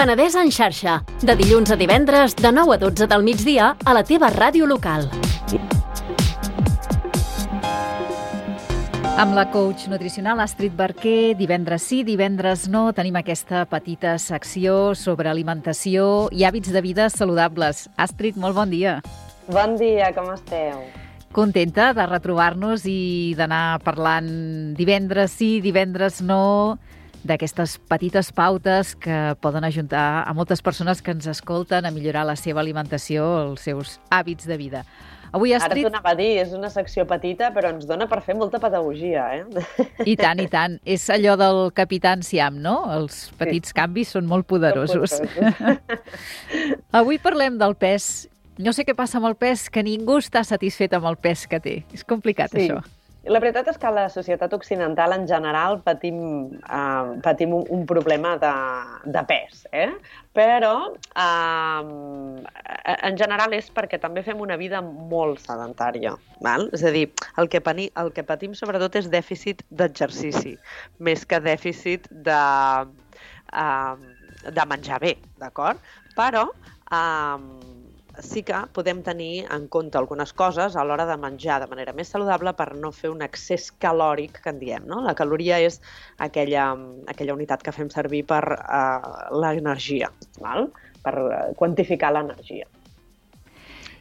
Penedès en xarxa, de dilluns a divendres, de 9 a 12 del migdia, a la teva ràdio local. Amb la coach nutricional Astrid Barquer, divendres sí, divendres no, tenim aquesta petita secció sobre alimentació i hàbits de vida saludables. Astrid, molt bon dia. Bon dia, com esteu? Contenta de retrobar-nos i d'anar parlant divendres sí, divendres no, d'aquestes petites pautes que poden ajudar a moltes persones que ens escolten a millorar la seva alimentació, els seus hàbits de vida. Avui, Astrid... Ara t'ho anava a dir, és una secció petita, però ens dona per fer molta pedagogia, I tant, i tant. És allò del Capità Enciam, no? Els petits canvis són molt poderosos. Avui parlem del pes. No sé què passa amb el pes, que ningú està satisfet amb el pes que té. És complicat, això. La veritat és que a la societat occidental en general patim un problema de pes, però en general és perquè també fem una vida molt sedentària. Val? És a dir, el que patim sobretot és dèficit d'exercici, més que dèficit de menjar bé, d'acord? Però sí que podem tenir en compte algunes coses a l'hora de menjar de manera més saludable per no fer un excés calòric, que en diem, no? La caloria és aquella unitat que fem servir per l'energia, val? Per quantificar l'energia.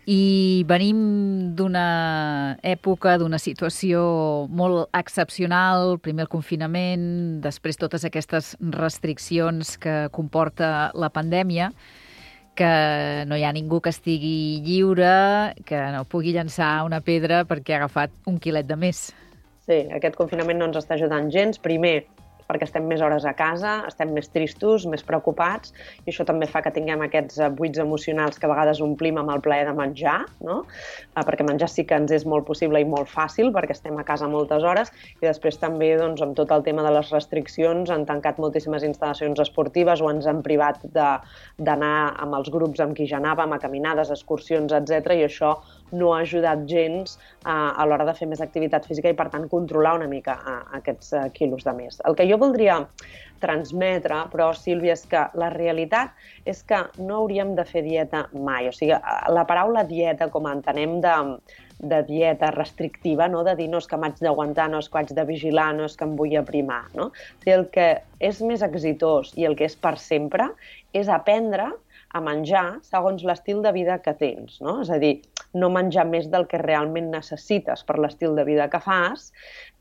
I venim d'una època, d'una situació molt excepcional, primer el confinament, després totes aquestes restriccions que comporta la pandèmia, que no hi ha ningú que estigui lliure, que no pugui llançar una pedra perquè ha agafat un quilet de més. Sí, aquest confinament no ens està ajudant gens. Primer, perquè estem més hores a casa, estem més tristos, més preocupats, i això també fa que tinguem aquests buits emocionals que a vegades omplim amb el plaer de menjar, no? Perquè menjar sí que ens és molt possible i molt fàcil, perquè estem a casa moltes hores, i després també, doncs, amb tot el tema de les restriccions, han tancat moltíssimes instal·lacions esportives o ens han privat d'anar amb els grups amb qui ja anàvem, a caminades, excursions, etc. I això no ha ajudat gens a l'hora de fer més activitat física i, per tant, controlar una mica aquests quilos de més. El que jo voldria transmetre, però, Sílvia, és que la realitat és que no hauríem de fer dieta mai. O sigui, la paraula dieta, com entenem de dieta restrictiva, no? De dir, no, és que m'haig d'aguantar, no, és que haig de vigilar, no, és que em vull aprimar, no? O sigui, el que és més exitós i el que és per sempre és aprendre a menjar segons l'estil de vida que tens, no? És a dir, no menjar més del que realment necessites per l'estil de vida que fas,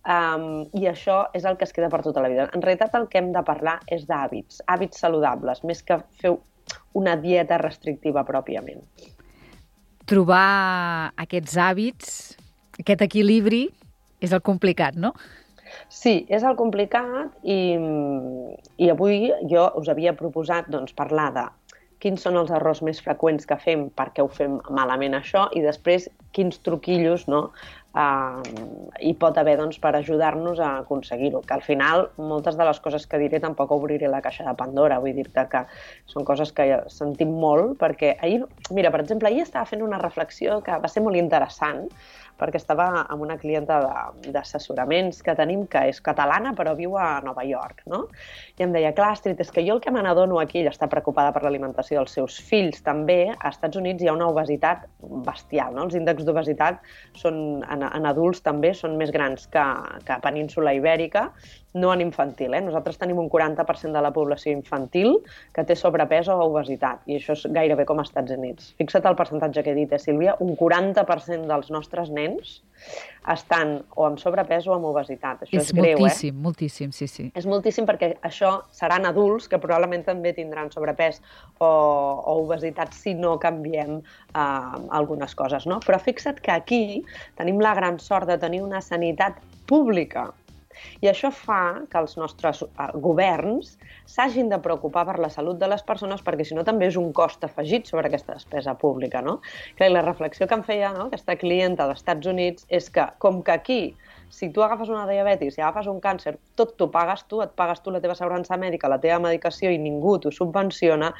i això és el que es queda per tota la vida. En realitat el que hem de parlar és d'hàbits, hàbits saludables, més que fer una dieta restrictiva pròpiament. Trobar aquests hàbits, aquest equilibri, és el complicat, no? Sí, és el complicat i avui jo us havia proposat parlar de quins són els errors més freqüents que fem, per què ho fem malament això, i després quins truquillos hi pot haver per ajudar-nos a aconseguir-ho. Que al final, moltes de les coses que diré tampoc obriré la caixa de Pandora, vull dir-te que són coses que sentim molt, perquè ahir, mira, per exemple, ahir estava fent una reflexió que va ser molt interessant, perquè estava amb una clienta d'assessoraments que tenim, que és catalana però viu a Nova York, no? I em deia, clar, Astrid, és que jo el que me n'adono aquí, ella està preocupada per l'alimentació dels seus fills també, a Estats Units hi ha una obesitat bestial, no? Els índexs d'obesitat en adults també són més grans que a Península Ibèrica, no en infantil, Nosaltres tenim un 40% de la població infantil que té sobrepès o obesitat, i això és gairebé com als Estats Units. Fixa't el percentatge que he dit, Sílvia, un 40% dels nostres nens estan o amb sobrepès o amb obesitat. Això és greu, moltíssim, moltíssim, sí. És moltíssim perquè això seran adults que probablement també tindran sobrepès o obesitat si no canviem algunes coses, no? Però fixa't que aquí tenim la gran sort de tenir una sanitat pública. I això fa que els nostres governs s'hagin de preocupar per la salut de les persones, perquè si no també és un cost afegit sobre aquesta despesa pública, no? Clar, la reflexió que em feia, no, aquesta clienta dels Estats Units és que, com que aquí, si tu agafes una diabetis, si agafes un càncer, tot t'ho pagues tu, et pagues tu la teva assegurança mèdica, la teva medicació i ningú t'ho subvenciona,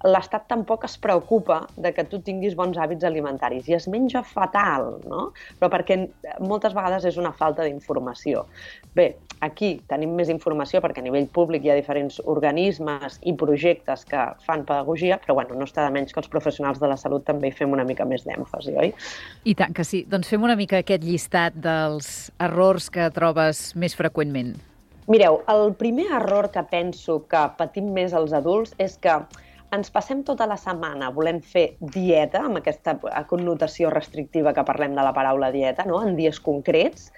l'Estat tampoc es preocupa de que tu tinguis bons hàbits alimentaris i es menja fatal, no? Però perquè moltes vegades és una falta d'informació. Bé, aquí tenim més informació perquè a nivell públic hi ha diferents organismes i projectes que fan pedagogia, però bueno, no està de menys que els professionals de la salut també hi fem una mica més d'èmfasi, oi? I tant que sí. Doncs fem una mica aquest llistat dels errors que trobes més freqüentment. Mireu, el primer error que penso que patim més els adults és que ens passem tota la setmana volent fer dieta, amb aquesta connotació restrictiva que parlem de la paraula dieta, no? En dies concrets,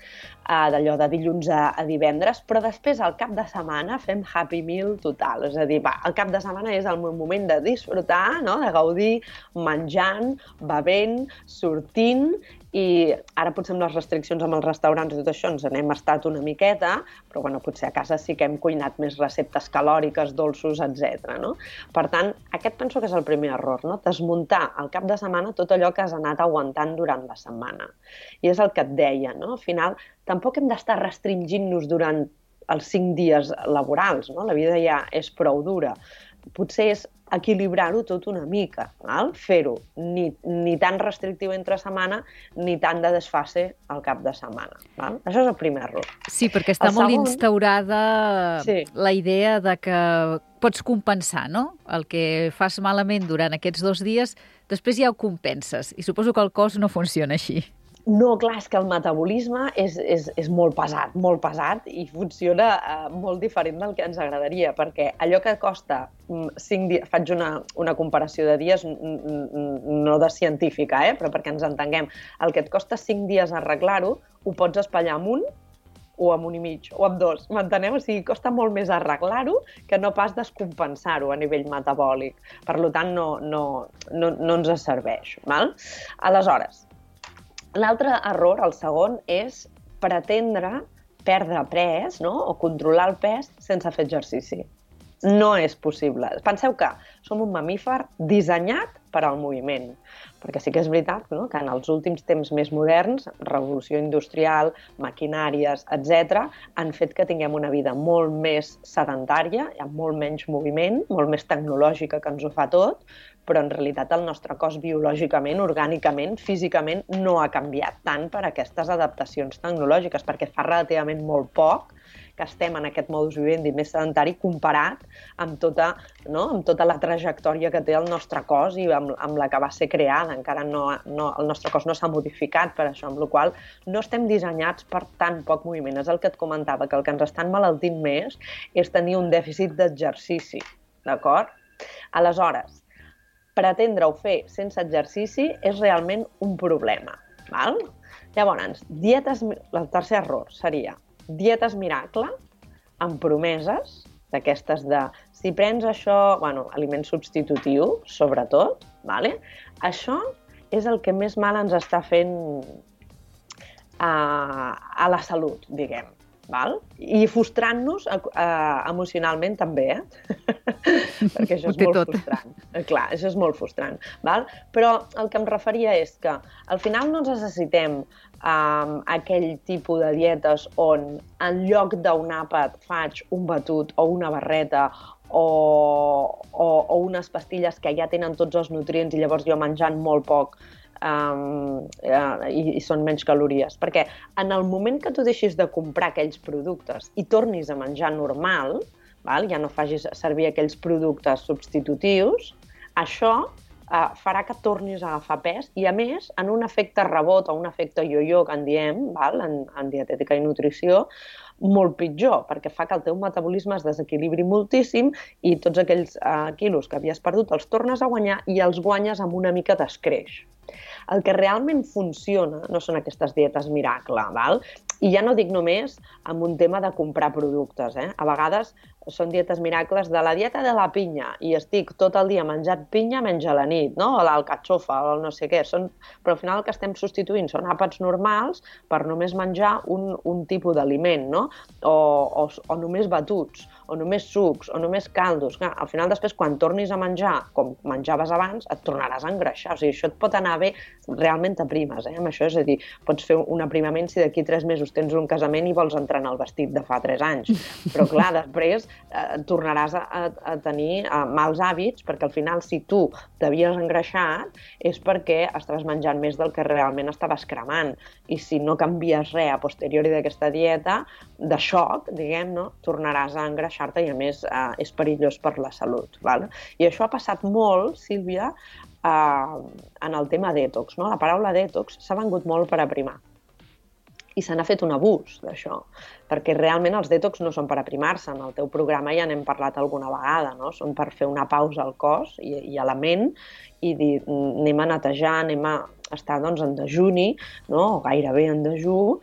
d'allò de dilluns a divendres, però després al cap de setmana fem happy meal total. És a dir, el cap de setmana és el moment de disfrutar, no? De gaudir menjant, bevent, sortint, i ara potser amb les restriccions amb els restaurants i tot això ens n'hem estat una miqueta, però bueno, potser a casa sí que hem cuinat més receptes calòriques, dolços, etc. No? Per tant, aquest penso que és el primer error, no? Desmuntar al cap de setmana tot allò que has anat aguantant durant la setmana. I és el que et deia, no? Al final, tampoc hem d'estar restringint-nos durant els 5 dies laborals, no? La vida ja és prou dura. Potser és equilibrar-ho tot una mica, val? Fer-ho ni tan restrictiu entre setmana ni tan de desfase al cap de setmana. Val? Això és el primer error. Sí, perquè està molt instaurada la idea de que pots compensar, no? El que fas malament durant aquests 2 dies, després ja ho compenses. I suposo que el cos no funciona així. No, clar, és que el metabolisme és molt pesat i funciona molt diferent del que ens agradaria, perquè allò que costa 5 dies, faig una comparació de dies no de científica, però perquè ens entenguem, el que et costa 5 dies arreglar-ho, ho pots espatllar amb 1 o amb 1 i mig, o amb 2, m'enteneu? O sigui, costa molt més arreglar-ho que no pas descompensar-ho a nivell metabòlic. Per tant, no ens serveix. Val? Aleshores, l'altre error, el segon, és pretendre perdre pes, no? O controlar el pes sense fer exercici. No és possible. Penseu que som un mamífer dissenyat per al moviment, perquè sí que és veritat, no? Que en els últims temps més moderns, revolució industrial, maquinàries, etc., han fet que tinguem una vida molt més sedentària, amb molt menys moviment, molt més tecnològica que ens ho fa tot, però en realitat el nostre cos biològicament, orgànicament, físicament, no ha canviat tant per aquestes adaptacions tecnològiques, perquè fa relativament molt poc que estem en aquest modus vivendi més sedentari comparat amb tota la trajectòria que té el nostre cos i amb la que va ser creada. Encara el nostre cos no s'ha modificat per això, amb la qual cosa no estem dissenyats per tan poc moviment. És el que et comentava, que el que ens està emmalaltint més és tenir un dèficit d'exercici, d'acord? Aleshores, pretendre-ho fer sense exercici és realment un problema, val? Llavors, el tercer error seria dietes miracle amb promeses d'aquestes de si prens això, aliment substitutiu, sobretot, vale? Això és el que més mal ens està fent a la salut, diguem. Val? I frustrant-nos emocionalment també, perquè això és molt frustrant. Clar, això és molt frustrant. Val? Però el que em referia és que al final no necessitem aquell tipus de dietes on en lloc d'un àpat faig un batut o una barreta o unes pastilles que ja tenen tots els nutrients i llavors jo menjant molt poc i són menys calories. Perquè en el moment que tu deixis de comprar aquells productes i tornis a menjar normal, ja no facis servir aquells productes substitutius, això farà que tornis a agafar pes i, a més, en un efecte rebot o un efecte yo-yo que en diem, en dietètica i nutrició, molt pitjor, perquè fa que el teu metabolisme es desequilibri moltíssim i tots aquells quilos que havies perdut els tornes a guanyar i els guanyes amb una mica d'escreix. El que realment funciona no són aquestes dietes miracle, val? I ja no dic només amb un tema de comprar productes. A vegades són dietes miracles de la dieta de la pinya i estic tot el dia menjant pinya menys a la nit, no? O l'alcatxofa o el no sé què. Però al final el que estem substituint són àpats normals per només menjar un tipus d'aliment, no? O només batuts, o només sucs, o només caldos. Clar, al final després quan tornis a menjar com menjaves abans et tornaràs a engreixar. O sigui, això et pot anar bé, realment t'aprimes, amb això. És a dir, pots fer un aprimament si d'aquí 3 mesos tens un casament i vols entrar en el vestit de fa 3 anys. Però clar, després tornaràs a tenir mals hàbits, perquè al final, si tu t'havies engreixat, és perquè estaves menjant més del que realment estaves cremant. I si no canvies res a posteriori d'aquesta dieta, de xoc, diguem, no? Tornaràs a engreixar-te i, a més, és perillós per la salut. Val? I això ha passat molt, Sílvia, en el tema detox. No? La paraula detox s'ha vengut molt per aprimar. I se n'ha fet un abús d'això, perquè realment els detox no són per aprimar-se. En el teu programa ja n'hem parlat alguna vegada, no? Són per fer una pausa al cos i a la ment i dir, anem a netejar, anem a estar doncs, en dejuni, no? O gairebé en dejú,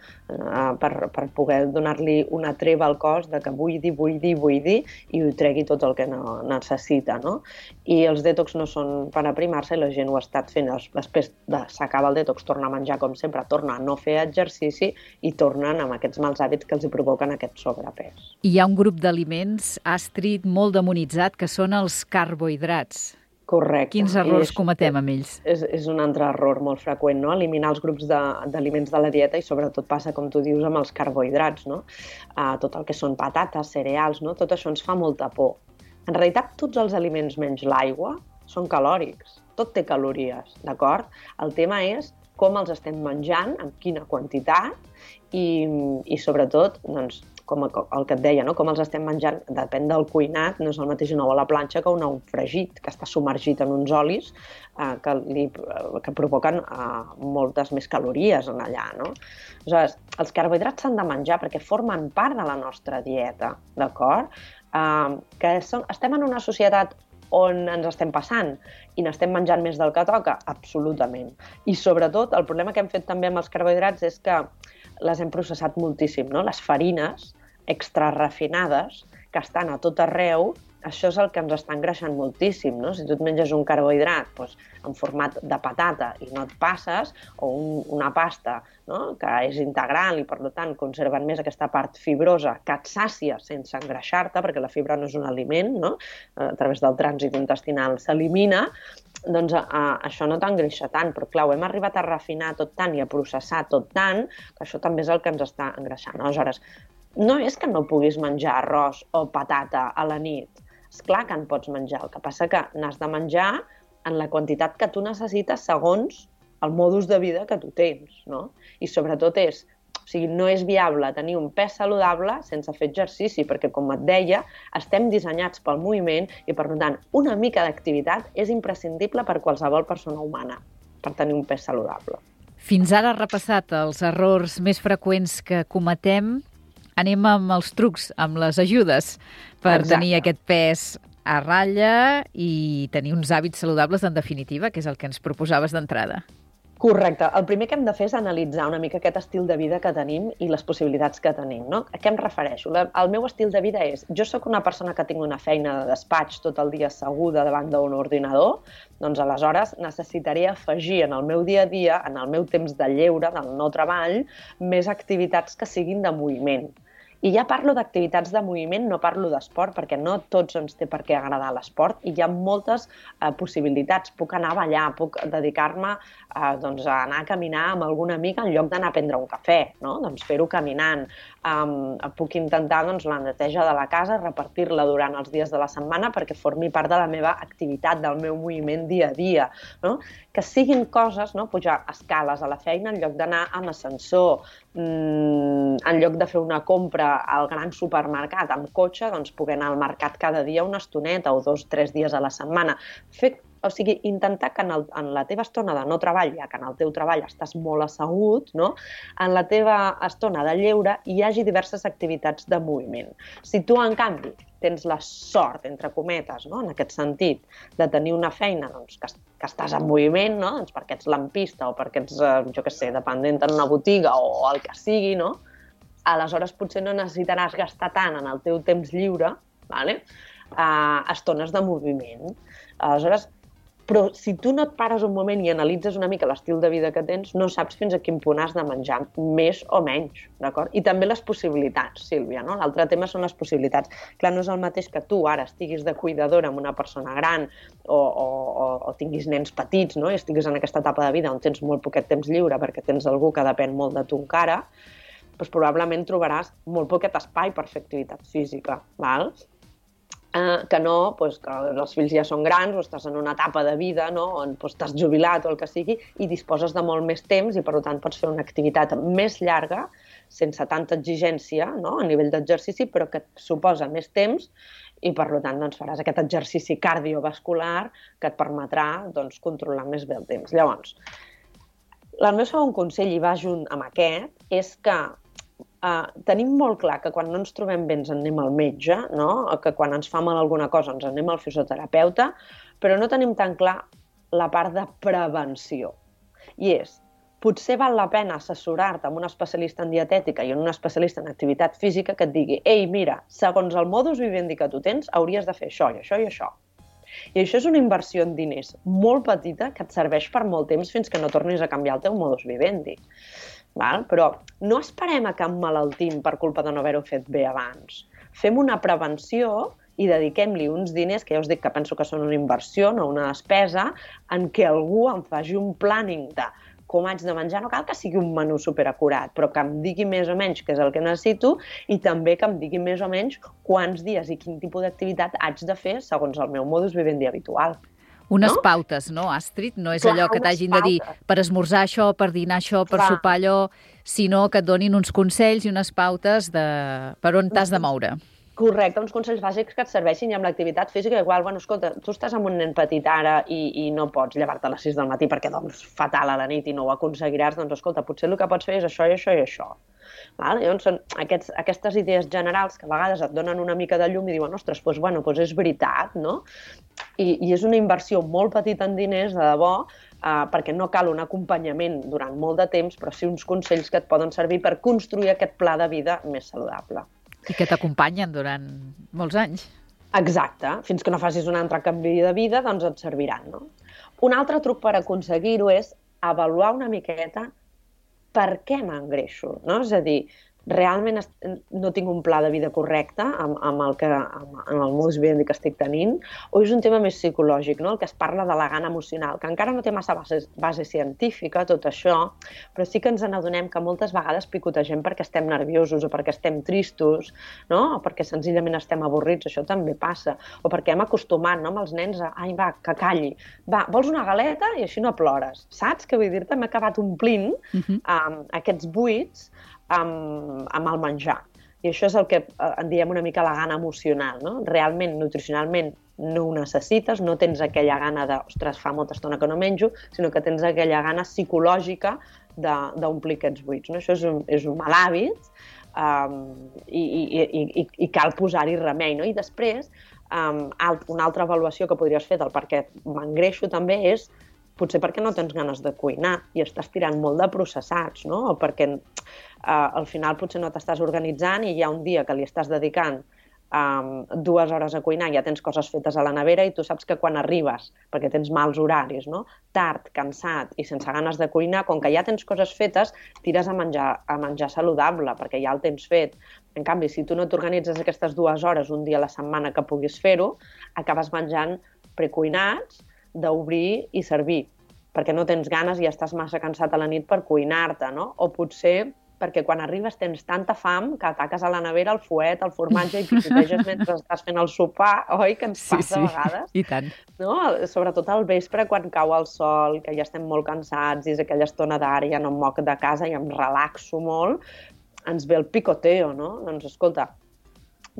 per poder donar-li una treva al cos de que vull dir, i ho tregui tot el que necessita. No? I els detox no són per aprimar-se, i la gent ho ha estat fent. Després s'acaba el detox, torna a menjar com sempre, torna a no fer exercici i tornen amb aquests mals hàbits que els hi provoquen aquest sobrepès. Hi ha un grup d'aliments, Astrid, molt demonitzat, que són els carbohidrats. Correcte. Quins errors cometem amb ells? És un altre error molt freqüent, no? Eliminar els grups d'aliments de la dieta, i sobretot passa, com tu dius, amb els carbohidrats, no? Tot el que són patates, cereals, no? Tot això ens fa molta por. En realitat, tots els aliments menys l'aigua són calòrics. Tot té calories, d'acord? El tema és com els estem menjant, amb quina quantitat, i sobretot, doncs, com el que et deia, no? Com els estem menjant, depèn del cuinat, no és el mateix un ou a la planxa que un ou fregit, que està submergit en uns olis que provoquen moltes més calories en allà. No? Aleshores, els carbohidrats s'han de menjar perquè formen part de la nostra dieta, d'acord? Estem en una societat on ens estem passant i n'estem menjant més del que toca? Absolutament. I sobretot, el problema que hem fet també amb els carbohidrats és que les hem processat moltíssim, no? Les farines extrarefinades que estan a tot arreu, això és el que ens està engreixant moltíssim, no? Si tu et menges un carbohidrat doncs, en format de patata i no et passes, o una pasta, no? Que és integral i per tant conserven més aquesta part fibrosa que et sàcia sense engreixar-te, perquè la fibra no és un aliment, no? A través del trànsit intestinal s'elimina, doncs això no t'engreixa tant, però clar, ho hem arribat a refinar tot tant i a processar tot tant que això també és el que ens està engreixant. Aleshores, no és que no puguis menjar arròs o patata a la nit. És clar que en pots menjar, el que passa que n'has de menjar en la quantitat que tu necessites segons el modus de vida que tu tens, no? I sobretot no és viable tenir un pes saludable sense fer exercici, perquè, com et deia, estem dissenyats pel moviment i, per tant, una mica d'activitat és imprescindible per qualsevol persona humana per tenir un pes saludable. Fins ara has repassat els errors més freqüents que cometem. Anem amb els trucs, amb les ajudes per tenir aquest pes a ratlla i tenir uns hàbits saludables, en definitiva, que és el que ens proposaves d'entrada. Correcte. El primer que hem de fer és analitzar una mica aquest estil de vida que tenim i les possibilitats que tenim. No? A què em refereixo? El meu estil de vida és, jo sóc una persona que tinc una feina de despatx tot el dia asseguda davant d'un ordinador, doncs aleshores necessitaré afegir en el meu dia a dia, en el meu temps de lleure, del no treball, més activitats que siguin de moviment. I ja parlo d'activitats de moviment, no parlo d'esport, perquè no tots ens té per què agradar l'esport i hi ha moltes possibilitats. Puc anar a ballar, puc dedicar-me a anar a caminar amb algun amic en lloc d'anar a prendre un cafè, no? Doncs fer-ho caminant. Puc intentar la neteja de la casa, repartir-la durant els dies de la setmana perquè formi part de la meva activitat, del meu moviment dia a dia. No? Que siguin coses, no? Pujar escales a la feina en lloc d'anar amb ascensor, en lloc de fer una compra al gran supermercat amb cotxe, doncs poder anar al mercat cada dia una estoneta o 2 o 3 dies a la setmana. O sigui, intentar que en la teva estona de no treball, ja que en el teu treball estàs molt assegut, no? En la teva estona de lleure hi hagi diverses activitats de moviment. Si tu, en canvi, tens la sort, entre cometes, no? En aquest sentit, de tenir una feina doncs, que estàs en moviment, no? Doncs perquè ets lampista o perquè ets, dependent en una botiga o el que sigui, no? Aleshores potser no necessitaràs gastar tant en el teu temps lliure, vale? Estones de moviment. Aleshores, però si tu no et pares un moment i analitzes una mica l'estil de vida que tens, no saps fins a quin punt has de menjar, més o menys, d'acord? I també les possibilitats, Sílvia, no? L'altre tema són les possibilitats. Clar, no és el mateix que tu ara estiguis de cuidadora amb una persona gran o tinguis nens petits, no? I estiguis en aquesta etapa de vida on tens molt poquet temps lliure perquè tens algú que depèn molt de tu encara, doncs probablement trobaràs molt poquet espai per fer activitat física, val? que no, doncs, que els fills ja són grans o estàs en una etapa de vida, no? On doncs, t'has jubilat o el que sigui i disposes de molt més temps i per tant pots fer una activitat més llarga sense tanta exigència, no? A nivell d'exercici, però que et suposa més temps i per tant doncs, faràs aquest exercici cardiovascular que et permetrà doncs, controlar més bé el temps. Llavors, el meu segon consell, i va junt amb aquest, és que tenim molt clar que quan no ens trobem bé ens anem al metge, no? Que quan ens fa mal alguna cosa ens anem al fisioterapeuta, però no tenim tan clar la part de prevenció. I és, potser val la pena assessorar-te amb un especialista en dietètica i un especialista en activitat física que et digui ei, mira, segons el modus vivendi que tu tens, hauries de fer això i això i això. I això és una inversió en diners molt petita que et serveix per molt temps fins que no tornis a canviar el teu modus vivendi. Val? Però no esperem a que emmalaltim per culpa de no haver-ho fet bé abans. Fem una prevenció i dediquem-li uns diners, que ja us dic que penso que són una inversió, no una despesa, en què algú em faci un planning de com haig de menjar. No cal que sigui un menú superacurat, però que em digui més o menys què és el que necessito i també que em digui més o menys quants dies i quin tipus d'activitat haig de fer segons el meu modus vivendi habitual. Unes pautes, no, Astrid? No és allò que t'hagin de dir per esmorzar això, per dinar això, per sopar allò, sinó que et donin uns consells i unes pautes de per on t'has de moure. Correcte, uns consells bàsics que et serveixin i amb l'activitat física igual, bueno, escolta, tu estàs amb un nen petit ara i no pots llevar-te a les 6 del matí perquè doncs fatal a la nit i no ho aconseguiràs, doncs escolta, potser el que pots fer és això i això i això. Val? Llavors són aquestes idees generals que a vegades et donen una mica de llum i diuen, ostres, doncs, bueno, doncs és veritat, no? I és una inversió molt petita en diners, de debò, perquè no cal un acompanyament durant molt de temps, però sí uns consells que et poden servir per construir aquest pla de vida més saludable. I que t'acompanyen durant molts anys. Exacte. Fins que no facis un altre canvi de vida, doncs et serviran, no? Un altre truc per aconseguir-ho és avaluar una miqueta per què m'engreixo, no? És a dir, realment no tinc un pla de vida correcte amb el modus vivendi que estic tenint, o és un tema més psicològic, no? El que es parla de la gana emocional, que encara no té massa base científica, tot això, però sí que ens n'adonem que moltes vegades picotegem perquè estem nerviosos o perquè estem tristos, no? O perquè senzillament estem avorrits, això també passa, o perquè hem acostumat, no? Amb els nens a, ai, va, que calli, va, vols una galeta i així no plores, saps? Que vull dir-te, m'he acabat omplint aquests buits amb el menjar. I això és el que en diem una mica la gana emocional, no? Realment, nutricionalment, no ho necessites, no tens aquella gana de, ostres, fa molta estona que no menjo, sinó que tens aquella gana psicològica d'omplir aquests buits, no? Això és un mal hàbit i cal posar-hi remei, no? I després, una altra avaluació que podries fer del per què m'engreixo també és potser perquè no tens ganes de cuinar i estàs tirant molt de processats, no? O perquè al final potser no t'estàs organitzant i hi ha un dia que li estàs dedicant 2 hores a cuinar i ja tens coses fetes a la nevera i tu saps que quan arribes, perquè tens mals horaris, no? Tard, cansat i sense ganes de cuinar, com que ja tens coses fetes, tires a menjar saludable, perquè ja el tens fet. En canvi, si tu no t'organitzes aquestes 2 hores un dia a la setmana que puguis fer-ho, acabes menjant precuinats, d'obrir i servir, perquè no tens ganes i estàs massa cansat a la nit per cuinar-te, no? O potser perquè quan arribes tens tanta fam que ataques a la nevera el fuet, el formatge i picoteges mentre estàs fent el sopar, oi? Que ens passa a vegades. I tant. No? Sobretot al vespre, quan cau el sol, que ja estem molt cansats i és aquella estona d'ara, ja no em moc de casa i em relaxo molt, ens ve el picoteo, no? Doncs escolta,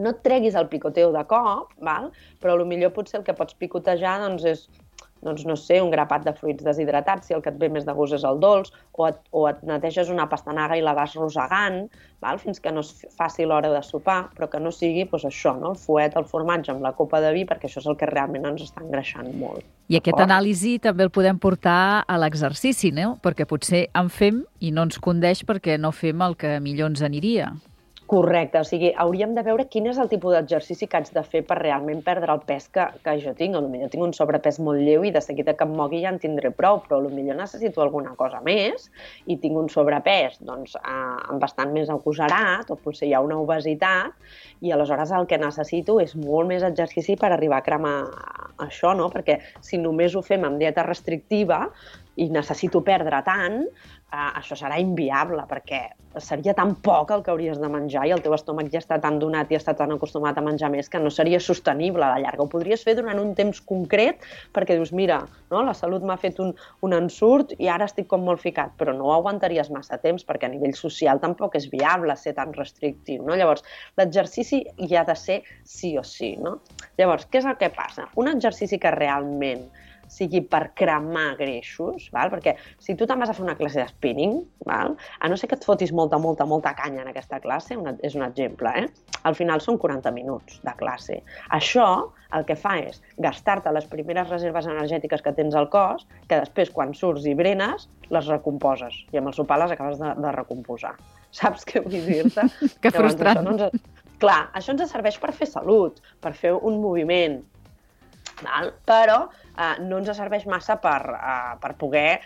no et treguis el picoteo de cop, val? Però potser potser el que pots picotejar doncs és, doncs no sé, un grapat de fruits deshidratats, si el que et ve més de gust és el dolç, o et neteges una pastanaga i la vas rosegant, val? Fins que no es faci l'hora de sopar, però que no sigui doncs això, no? El fuet, el formatge amb la copa de vi, perquè això és el que realment ens està engreixant molt. I aquest anàlisi també el podem portar a l'exercici, no? Perquè potser en fem i no ens condeix perquè no fem el que millor ens aniria. Correcte, o sigui, hauríem de veure quin és el tipus d'exercici que haig de fer per realment perdre el pes que jo tinc. Potser tinc un sobrepès molt lleu i de seguida que em mogui ja en tindré prou, però potser necessito alguna cosa més i tinc un sobrepès doncs, bastant més agosarat o potser hi ha una obesitat i aleshores el que necessito és molt més exercici per arribar a cremar això, no? Perquè si només ho fem amb dieta restrictiva, i necessito perdre tant, això serà inviable, perquè seria tan poc el que hauries de menjar i el teu estómac ja està tan donat i està tan acostumat a menjar més que no seria sostenible a la llarga. Ho podries fer durant un temps concret perquè dius, mira, no, la salut m'ha fet un ensurt i ara estic com molt ficat, però no ho aguantaries massa temps perquè a nivell social tampoc és viable ser tan restrictiu, no? Llavors, l'exercici hi ha de ser sí o sí, no? Llavors, què és el que passa? Un exercici que realment sigui per cremar greixos, val? Perquè si tu te'n vas a fer una classe de spinning, val? A no ser que et fotis molta canya en aquesta classe, és un exemple, al final són 40 minuts de classe. Això el que fa és gastar-te les primeres reserves energètiques que tens al cos, que després, quan surts i brenes, les recomposes. I amb el sopar les acabes de recomposar. Saps què vull dir-te? Que frustrant. Clar, això ens serveix per fer salut, per fer un moviment, val? Però no ens serveix massa per poder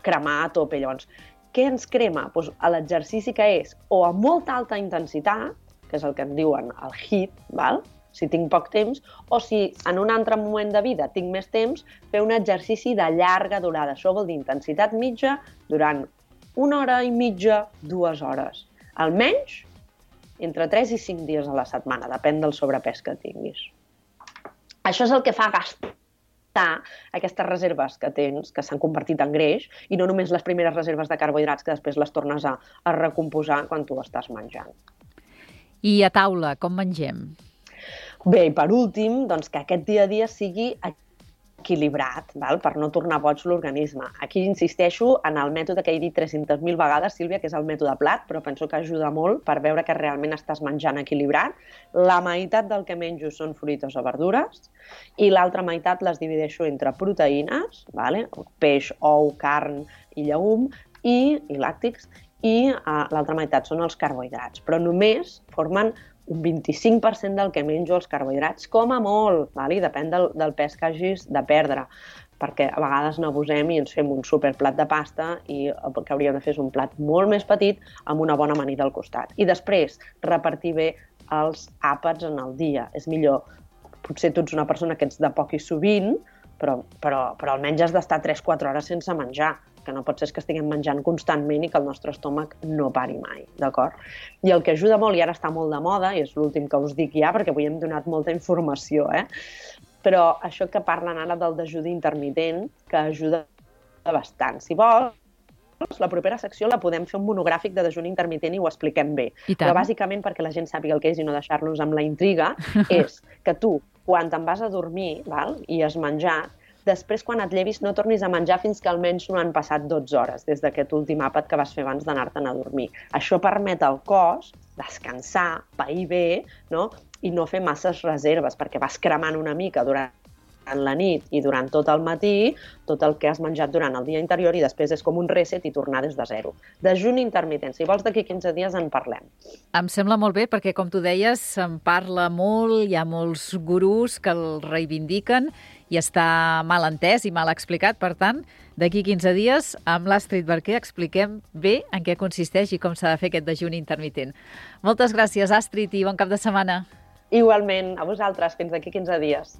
cremar a tope. Llavors, què ens crema? Doncs l'exercici que és o a molta alta intensitat, que és el que en diuen el HIIT, val? Si tinc poc temps, o si en un altre moment de vida tinc més temps, fer un exercici de llarga durada. Això vol dir intensitat mitja durant 1 hora i mitja, 2 hores. Almenys entre 3 i 5 dies a la setmana, depèn del sobrepès que tinguis. Això és el que fa gastar aquestes reserves que tens, que s'han convertit en greix, i no només les primeres reserves de carbohidrats que després les tornes a recomposar quan tu estàs menjant. I a taula, com mengem? Bé, i per últim, doncs que aquest dia a dia sigui equilibrat, val? Per no tornar boig l'organisme. Aquí insisteixo en el mètode que he dit 300.000 vegades, Sílvia, que és el mètode Plat, però penso que ajuda molt per veure que realment estàs menjant equilibrat. La meitat del que menjo són fruites o verdures i l'altra meitat les divideixo entre proteïnes, vale? Peix, ou, carn i llegum, i làctics, i l'altra meitat són els carbohidrats, però només formen un 25% del que menjo els carbohidrats, com a molt, i depèn del pes que hagis de perdre, perquè a vegades no abusem i ens fem un superplat de pasta i el que hauríem de fer és un plat molt més petit amb una bona amanida al costat. I després, repartir bé els àpats en el dia. És millor, potser tu ets una persona que ets de poc i sovint, però almenys has d'estar 3-4 hores sense menjar, que no pot ser que estiguem menjant constantment i que el nostre estómac no pari mai, d'acord? I el que ajuda molt, i ara està molt de moda, i és l'últim que us dic ja, perquè avui hem donat molta informació, però això que parlen ara del dejuni intermitent, que ajuda bastant. Si vols, la propera secció la podem fer un monogràfic de dejuni intermitent i ho expliquem bé. Però bàsicament, perquè la gent sàpiga el que és i no deixar-los amb la intriga, és que tu, quan te'n vas a dormir i has menjat, després, quan et llevis, no tornis a menjar fins que almenys no han passat 12 hores des d'aquest últim àpat que vas fer abans d'anar-te'n a dormir. Això permet al cos descansar, pair bé, no? I no fer masses reserves, perquè vas cremant una mica durant la nit i durant tot el matí tot el que has menjat durant el dia anterior i després és com un reset i tornar des de zero. Dejuni intermitent. Si vols, d'aquí 15 dies en parlem. Em sembla molt bé perquè, com tu deies, se'n parla molt, hi ha molts gurús que el reivindiquen i està mal entès i mal explicat. Per tant, d'aquí 15 dies, amb l'Astrid Barquer expliquem bé en què consisteix i com s'ha de fer aquest dejuni intermitent. Moltes gràcies, Astrid, i bon cap de setmana. Igualment, a vosaltres. Fins d'aquí 15 dies.